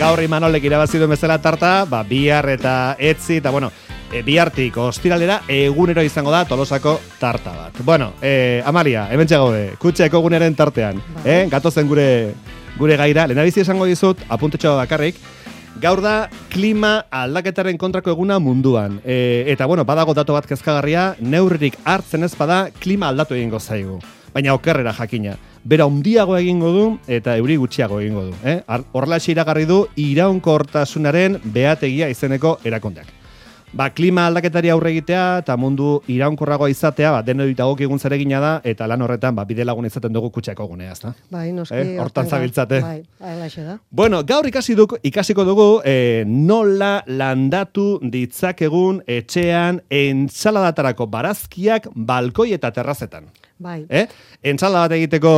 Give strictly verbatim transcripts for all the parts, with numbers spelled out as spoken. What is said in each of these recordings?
gaur Imanolek irabazi duen bezala tarta, ba, bihar eta etzi, eta bueno, e, bihartik ostiralera egunero izango da Tolosako tarta bat. Bueno, e, Amalia, hemen txagaude, kutxeko eguneren tartean, eh? Gatozen gure, gure gaira, lehenabizi esango dizut, apuntetxo bakarrik, gaur da klima aldaketaren kontrako eguna munduan. E, eta bueno, badago datu bat kezkagarria, neurririk hartzen ez bada klima aldatu egingo zaigu. Baina okerrera jakina. Bera handiago egingo du eta euri gutxiago egingo du. Eh? Horrelaxe iragarri du iraunkortasunaren behategia izeneko erakundeak. Ba, klima aldaketari aurre egitea eta mundu iraunkorragoa izatea, ba, denoi dagokigun zeregina da, eta lan horretan ba, bide lagun izaten dugu kutxako gunea, ezta? Bai, noski. Eh? Hortan zabiltzate. Bai, alaxe da. Bueno, gaur ikasi duk, ikasiko dugu eh, nola landatu ditzakegun etxean entzaladatarako barazkiak balkoi eta terrazetan. Bai. Eh? Entzala bat egiteko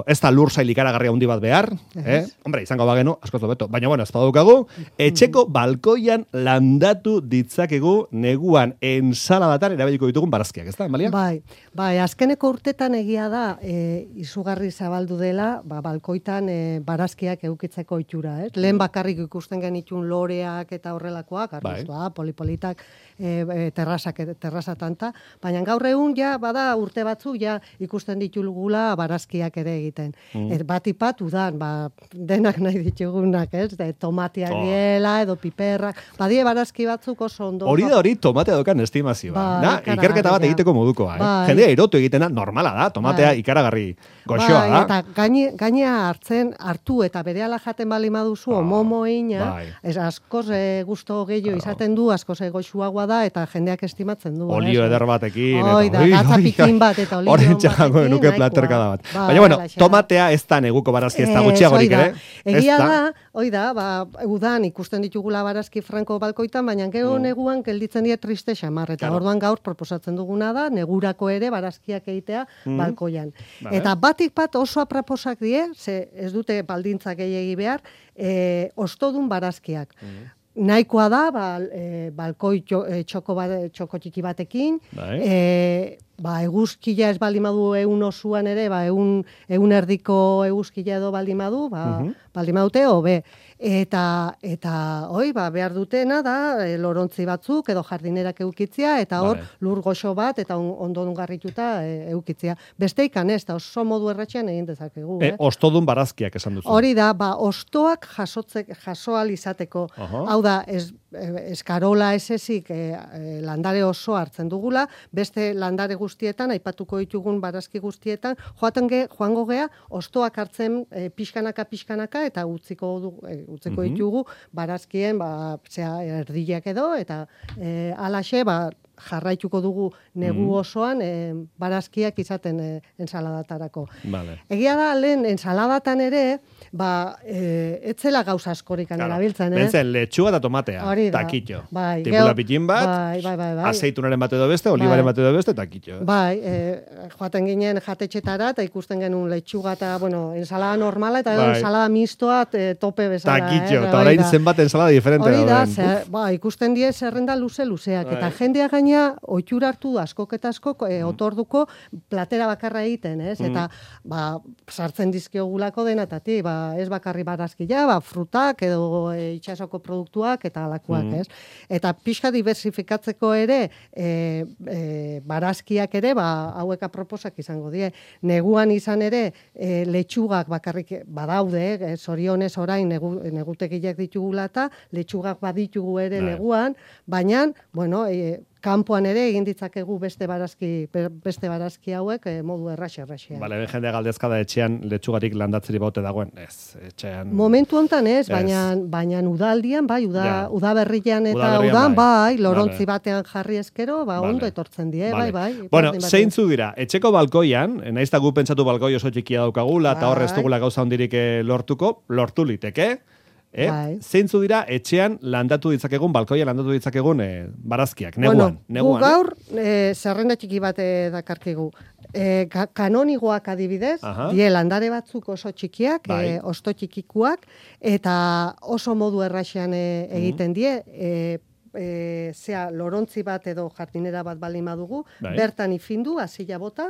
ez da lur sail ikaragarria handi bat behar, eh? Hombre, izango bagenu, askoz hobeto. Baina bueno, ez badaukagu, etxeko balkoian landatu ditzakegu neguan ensaladatan erabiliko ditugun barazkiak, ez da, Amalia? Bai, bai, azkeneko urtetan egia da, e, izugarri zabaldu dela, ba, balkoitan e, barazkiak eukitzeko itxura, ez? Lehen bakarrik ikusten genitun loreak eta horrelakoak, arbustua, polipolitak, e, terrazak, terrazatanta, baina gaur egun ja, bada urte batzu, ja ikusten ditugula barazkiak ere egiten. Mm. Et bat ipat udan, ba, denak nahi ditugunak, ez? De, tomatiak oh. diela, edo piperrak, badie barazki batzuk oso ondo. Hori da hori tomatea dokan estimazioa. Ba, na, ikerketa bat egiteko modukoa. Eh? Bai. Jendea erotu egitena normala da, tomatea bai. ikaragarri goxoa bai, da. Eta gaine, gainea hartzen, hartu eta berehala jaten bali maduzu, oh. omomoina, bai. ez askoz e, gusto gehiago claro. izaten du, askoz goxuagoa da, eta jendeak estimatzen du. Olio eder batekin. Oi, da, gatzapikin bat, eta olio Horren txago nuke platerkada bat. Ba, Baina, bueno, tomatea ez da neguko barazki, ez da gutxiagorik, ere? Egia da, oi da, ba, udan ikusten ditugula barazki franko balkoitan, baina gero mm. neguan gelditzen dira triste xamar, eta claro. orduan gaur proposatzen duguna da, negurako ere barazkiak egitea mm. balkoian. Vale. Eta batik bat oso aproposak die, ze ez dute baldintzak gehiegi behar, e, ostodun barazkiak. Mm. Nahikoa da, ba, e, balkoi txoko, bat, txoko txiki batekin, bai. e, ba, eguzkila ez balimadu egun osuan ere, ba, egun, egun erdiko eguzkila edo balimadu, ba, uh-huh. balimadute, hobe. Eta, eta, oi, ba, behar dutena da, e, lorontzi batzuk edo jardinerak eukitzia, eta hor, vale. lur goxo bat, eta on, ondo garrituta e, eukitzia. Beste ikan ez, da oso modu erratxean egin dezakegu. E, eh? Ostodun barazkiak esan duzu. Hori da, ba, ostoak jasotzek, jasoal izateko. Uh-huh. Hau da, ez, eskarola ez ezik e, e, landare oso hartzen dugula, beste landare guztietan, aipatuko ditugun barazki guztietan, joaten ge, joango gea, ostoak hartzen e, pixkanaka, pixkanaka, eta utziko, du, e, utziko mm-hmm. ditugu barazkien, ba, zera, erdiak edo, eta e, alaxe, ba, jarraituko dugu negu osoan e, barazkiak izaten e, ensaladatarako. Vale. Egia da, lehen ensaladatan ere, ba, e, etzela gauza askorikan claro. erabiltzen, eh? Bentzen, letxua eta tomatea, takitxo. Bai, tipula pitin bat, bai, bai, bai, bai. azeitunaren bat edo beste, olibaren bai. bat edo beste, takitxo. Bai, e, joaten ginen jatetxetara, eta ikusten genuen letxuga eta, bueno, ensalada normala, eta bai. ensalada mistoa e, tope bezala. Takitxo, eta eh? orain zenbat ensalada diferente. Hori da, zer, ba, ikusten die zerrenda luze-luzeak, bai. eta jendea gaina oitura hartu askok eta askok e, otorduko platera bakarra egiten, ez? Eta, mm. ba, sartzen dizkiogulako denatati, ba, ez bakarri barazkia, ba, frutak edo e, itxasoko produktuak eta alakoak, mm. ez? Eta pixka diversifikatzeko ere, e, e, barazkiak ere, ba, hauek aproposak izango die. Neguan izan ere, e, letxugak bakarrik badaude, e, zorionez orain negu, negutekiak ditugula eta letxugak baditugu ere Dai. neguan, baina, bueno, e, kanpoan ere egin ditzakegu beste barazki beste barazki hauek e, modu erraxe erraxean. Vale, jende galdezka da etxean letxugarik landatzeri baute dagoen. Ez, etxean. Momentu hontan ez, baina baina udaldian bai, uda ja. udaberrian eta uda udan bai, bai lorontzi vale. batean jarri eskero, ba vale. ondo etortzen die, vale. bai, bai. Bueno, zeintzu dira? Etxeko balkoian, naiz ta gu pentsatu balkoi oso txikia daukagula eta hor ez dugula gauza hondirik lortuko, lortu liteke. Eh? Bai. Zeintzu dira etxean landatu ditzakegun, balkoia landatu ditzakegun eh, barazkiak, neguan. Bueno, neguan, gu gaur eh, zerrenda txiki bat eh, dakarkigu. Eh, ka- kanonigoak adibidez, Aha. die landare batzuk oso txikiak, bai. eh, osto txikikuak, eta oso modu erraxean eh, egiten die, eh, e, zea lorontzi bat edo jardinera bat bali madugu, bai. bertan ifindu, azila bota,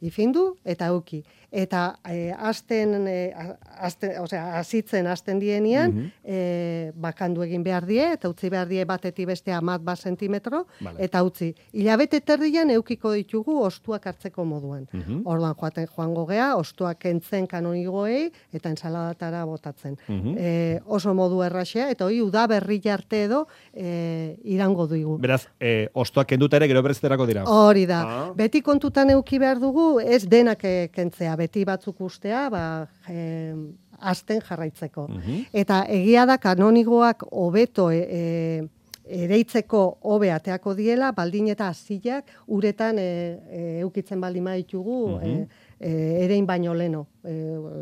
ifindu eta euki. Eta e, azten, e, azten, osea, azitzen azten dienean, mm -hmm. e, bakandu egin behar die, eta utzi behar die batetik bestea mat bat sentimetro, vale. Eta utzi. Hilabete terdian eukiko ditugu ostuak hartzeko moduan. Mm -hmm. Orduan joaten joango gea, ostuak kentzen kanonigoei, eta ensaladatara botatzen. Mm -hmm. e, oso modu erraxea, eta hori uda berri arte edo e, irango dugu. Beraz, e, ostuak kenduta ere gero berezterako dira. Hori da. Ah. Beti kontutan euki behar dugu, ez denak kentzea, beti batzuk ustea, ba, e, azten jarraitzeko. Mm-hmm. Eta egia da kanonigoak hobeto e, e, ereitzeko hobe ateako diela, baldin eta azilak uretan e, e, eukitzen baldin maitugu, mm-hmm. e, e, erein baino leno. E,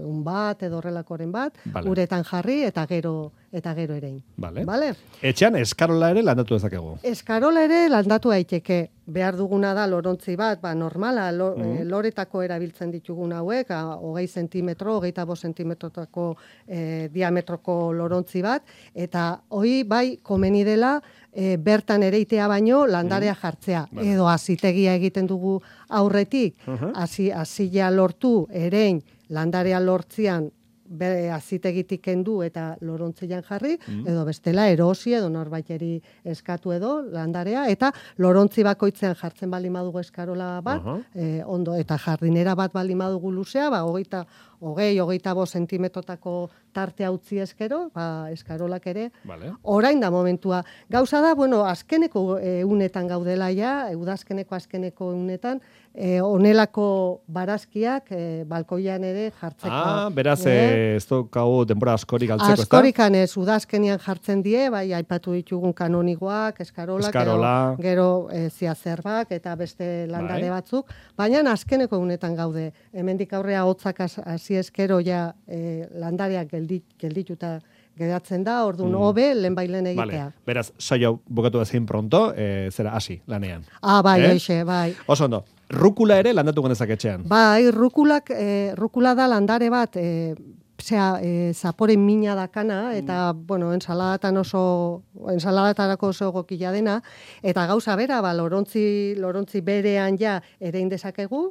un bat edo horrelakoren bat, vale. Uretan jarri eta gero eta gero erein. Vale. Vale? Etxean eskarola ere landatu dezakegu. Eskarola ere landatu daiteke. Behar duguna da lorontzi bat, ba normala, lo, mm. e, loretako erabiltzen ditugun hauek, a, hogei sentimetro, hogeita bost sentimetrotako e, diametroko lorontzi bat, eta hoi bai komeni dela e, bertan ereitea baino landarea jartzea. Mm. Vale. Edo azitegia egiten dugu aurretik, hasi uh-huh. azila lortu, erein, landarea lortzian bere azitegitik kendu eta lorontzian jarri, mm. edo bestela erosi edo norbaiteri eskatu edo landarea, eta lorontzi bakoitzean jartzen bali madugu eskarola bat, uh-huh. e, ondo, eta jardinera bat bali madugu luzea, ba, hogeita, hogei, hogeita bo sentimetrotako tartea utzi eskero, ba, eskarolak ere, vale. Orain da momentua. Gauza da, bueno, azkeneko e, unetan gaudela ja, udazkeneko azkeneko unetan, e, onelako barazkiak e, balkoian ere jartzeko. Ah, beraz, e, ez dukagu denbora askorik altzeko, ez da? Askorikan ez, udazkenian jartzen die, bai, aipatu ditugun kanonigoak, eskarolak, Eskarola. gero, gero e, ziazerbak eta beste landare bai. Batzuk, baina azkeneko unetan gaude. Hemendik aurrea hotzak hasi eskero ja e, landareak geldit, geldituta geratzen da, orduan mm. hobe, lehen bailen egitea. Vale. Beraz, saio bukatu ezin pronto, e, zera hasi lanean. Ah, bai, eh? Eixe, bai. Oso ondo. Rukula ere landatu genezak etxean. Bai, rukulak, e, rukula da landare bat, e, Osea, e, zapore mina dakana, eta, mm. bueno, ensaladatan oso, ensaladatarako oso gokila dena, eta gauza bera, ba, lorontzi, lorontzi berean ja erein dezakegu,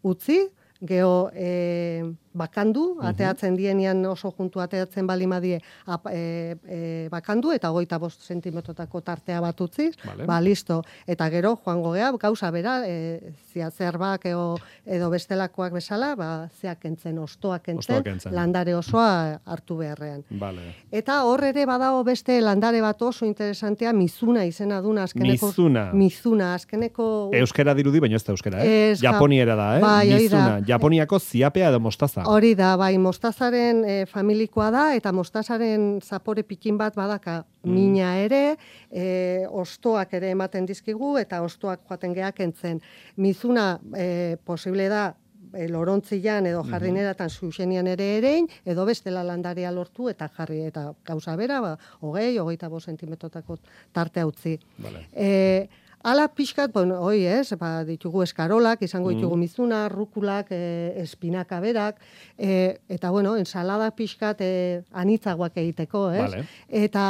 utzi, geho e, bakandu, ateatzen dienean oso juntu ateatzen balimadie e, e, bakandu, eta hogeita bost sentimetrotako tartea bat utziz, vale. Ba, listo. Eta gero, joango gea, gauza bera, e, ziazerbak edo, edo bestelakoak bezala, ba, zeak entzen, ostoak entzen, landare osoa hartu beharrean. Vale. Eta hor ere badago beste landare bat oso interesantea, mizuna izena duna azkeneko. Mizuna. Mizuna, azkeneko. Euskera dirudi, baina ez da euskera, eh? Ez, Japoniera da, eh? Bai, mizuna. Japoniako ziapea edo mostaza. Hori da, bai, mostazaren e, familikoa da, eta mostazaren zapore pikin bat badaka mm. mina ere, e, ostoak ere ematen dizkigu, eta ostoak joaten geak entzen. Mizuna e, posible da, e, lorontzian edo jardineratan zuzenian ere erein, edo bestela landarea lortu eta jarri, eta gauza bera, ba, hogei, hogeita bost sentimetrotako tartea utzi. Vale. E, Ala pixkat, bueno, hoi ez, ba, ditugu eskarolak, izango ditugu mm. mizuna, rukulak, e, espinaka berak, e, eta bueno, ensalada pixkat e, anitzagoak egiteko, ez? Vale. Eta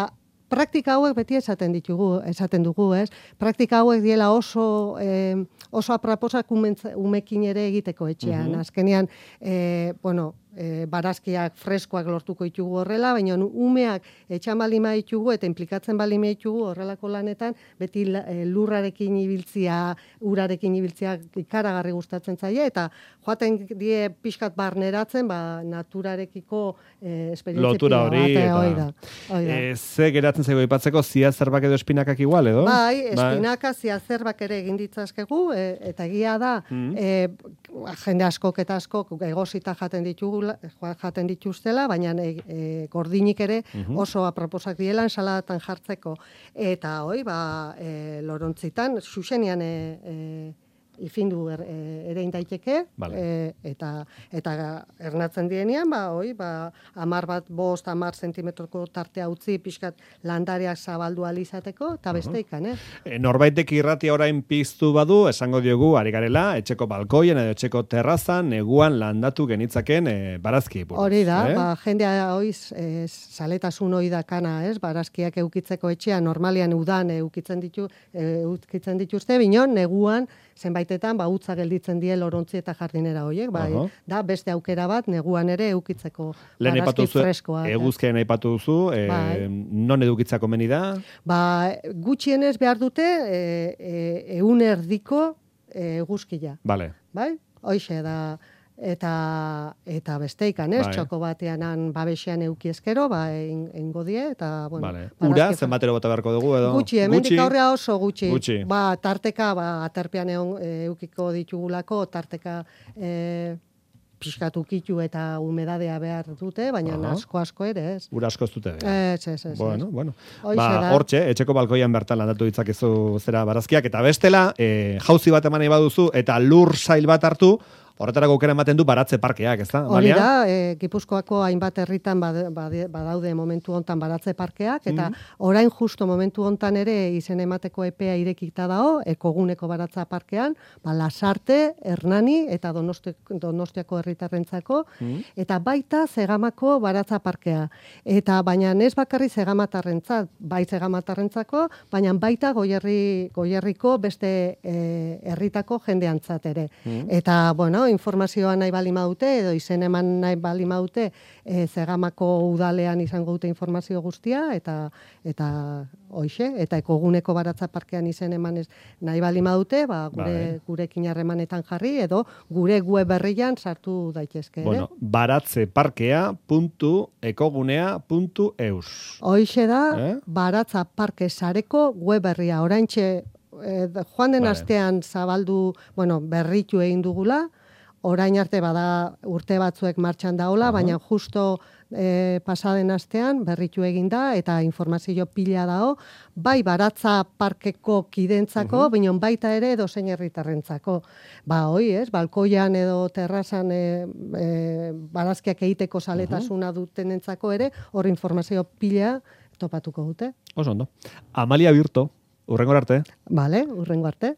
praktika hauek beti esaten ditugu, esaten dugu, ez? Praktika hauek diela oso, e, oso aproposak umekin ere egiteko etxean. Mm-hmm. Azkenean, e, bueno, e, barazkiak freskoak lortuko ditugu horrela, baina umeak etxan balima ditugu eta implikatzen balima ditugu horrelako lanetan, beti e, lurrarekin ibiltzia, urarekin ibiltzia ikaragarri gustatzen zaie, eta joaten die pixkat barneratzen, ba, naturarekiko e, esperientzia. Lotura hori, eta oida, oida. E, ze geratzen zaigu ipatzeko, ziazerbak edo espinakak igual, edo? Bai, espinaka, ziazerbak ere egin ditzazkegu, e, eta egia da, mm. e, jende askok eta askok egosita jaten ditugu, jaten dituztela, baina e, e, gordinik ere oso aproposak diela ensaladatan jartzeko. Eta hoi, ba, e, lorontzitan, xuxenian e, e, ifindu er, e, ere indaiteke, vale. e, eta, eta ernatzen dienean, ba, hoi, ba, amar bat, bost, amar sentimetroko tartea utzi, pixkat landareak zabaldu alizateko, eta beste ikan, eh? E, norbaitek irratia orain piztu badu, esango diogu, ari garela, etxeko balkoien edo etxeko terrazan, neguan landatu genitzaken e, barazki. Buruz, hori da, eh? ba, jendea hoiz, e, saletasun hoi dakana, ez? Barazkiak eukitzeko etxea, normalian udan eukitzen ditu, e, eukitzen dituzte, binon, neguan, zenbait baitetan, ba, utza gelditzen die lorontzi eta jardinera horiek, bai, Aha. da beste aukera bat neguan ere eukitzeko Lehen aipatu barazki duzu, freskoak. eguzkian aipatu duzu, e, Bai. non edukitzako meni da? Ba, gutxienez behar dute e, e, eun erdiko e, eguzkia, Vale. bai? Hoixe da, eta eta besteikan, ez? Bai. Txoko batean babesean euki eskero, ba, eingo die, eta, bueno. Vale. Ura, barazki- zenbatero bota beharko dugu edo? Gutxi, hemendik aurrea oso gutxi. Gutxi. Ba, tarteka, ba, aterpean egon, e, eukiko ditugulako, tarteka e, pixkatu kitu eta humedadea behar dute, baina Aha. asko asko ere, ez? Ura asko ez dute. behar. Ez, ez, ez. Bueno, ez. bueno. Hoixe Ba, da. hortxe, etxeko balkoian bertan landatu ditzakezu zera barazkiak, eta bestela, e, jauzi bat eman nahi baduzu, eta lur sail bat hartu, horretarako aukera ematen du baratze parkeak, ezta? Hori Amalia? da, e, Gipuzkoako hainbat herritan bade- bade- badaude momentu hontan baratze parkeak, eta orain justo momentu hontan ere izen emateko epea irekita dago, ekoguneko baratza parkean, ba, Lasarte, Hernani eta Donosti, Donostiako herritarrentzako, eta baita Zegamako baratza parkea. Eta baina ez bakarri Zegamatarrentzat, bai Zegamatarrentzako, baina baita Goierri, Goierriko beste e, herritako jendeantzat ere. Eta, bueno, informazioa nahi bali maute, edo izen eman nahi bali maute, e, Zegamako udalean izango dute informazio guztia, eta eta hoixe, eta ekoguneko baratza parkean izen emanez nahi bali maute, ba, gure, Bai. gurekin harremanetan jarri, edo gure web berrian sartu daitezke. ere. Bueno, baratzeparkea puntu ekogunea puntu eus. Hoixe da, Eh? baratza parke sareko web berria. Oraintxe, eh, joan den Vale. astean zabaldu, bueno, berritu egin dugula, orain arte bada urte batzuek martxan daola, baina justo e, pasaden astean berritu egin da, eta informazio pila dao, bai baratza parkeko kidentzako, baina baita ere edozein herritarrentzako. Ba, hoi, ez, balkoian edo terrazan e, e, barazkiak egiteko saletasuna dutenentzako ere, hor informazio pila topatuko dute. Oso ondo. Amalia Birto, urrengor arte. Vale, urrengo arte.